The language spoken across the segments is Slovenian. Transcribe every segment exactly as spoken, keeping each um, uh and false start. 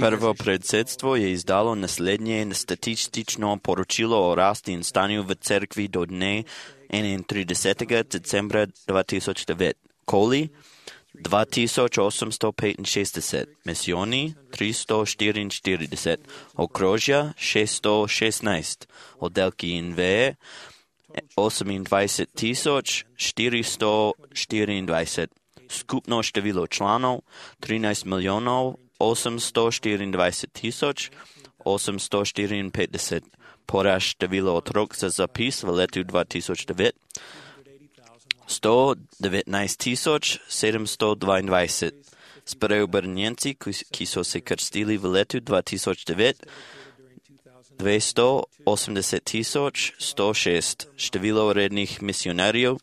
Prvo predsedstvo je izdalo naslednje statistično poročilo o rasti in stanju v cerkvi do dne enaintridesetega decembra dva tisoč devet. Koli dva tisoč osemsto petinšestdeset, misijoni tristo štiriinštirideset, okrožja šeststo šestnajst, oddelki in veje osemindvajset tisoč štiristo štiriindvajset, skupno število članov trinajst milijonov osemsto štiriindvajset tisoč osemsto štiriinpetdeset, porast število otrok za zapis v letu dva tisoč devet sto devetnajst tisoč sedemsto dvaindvajset. Spreobrnjenci, ki so se krstili v letu dva tisoč devet, dvesto osemdeset tisoč sto šest. Število rednih misionarjev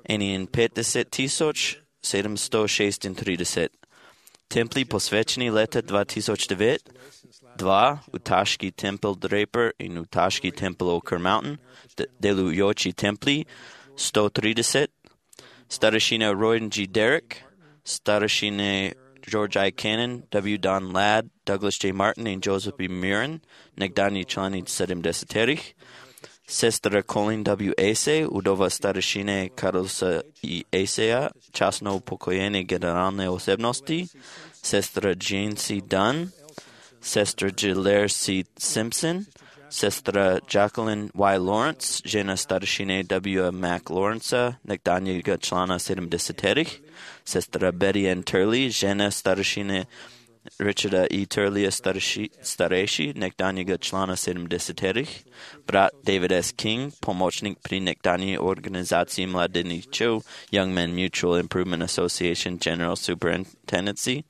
enainpetdeset tisoč sedemsto šestintrideset. Templi posvečeni leta dva tisoč devet, dva, Utaški tempel Draper in Utaški tempel Oker Mountain, delujoči templi sto trideset, starešina Royden G. Derrick, starešine George I. Cannon, W. Don Ladd, Douglas J. Martin in Joseph B. Mirren, nekdani člani sedemdesetih, sestra Colin W. Acey, udova starešine Carlosa I. Aceya, časno upokojene generalne osebnosti, sestra Jane C. Dunn, sestra Gilaire C. Simpson, sestra Jacqueline Y. Lawrence, žena starešine W. Mac Lawrence, nekdanjega člana sedemdesetih, sestra Betty N. Turley, žena starešine Richarda E. Turleya starejši, nekdanjega člana sedemdesetih, brat David S. King, pomočnik pri nekdanji organizaciji mladeničev Young Men Mutual Improvement Association General Superintendency,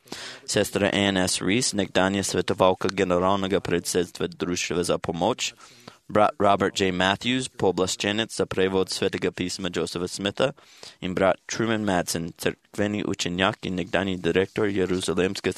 sestra Ann S. Reese, nekdanja svetovalka generalnega predsedstva Društva za pomoč, brat Robert J. Matthews, pooblaščenec za prevod svetega pisma Josepha Smitha, in brat Truman Madsen, cerkveni učenjak in nekdanji direktor Jeruzalemske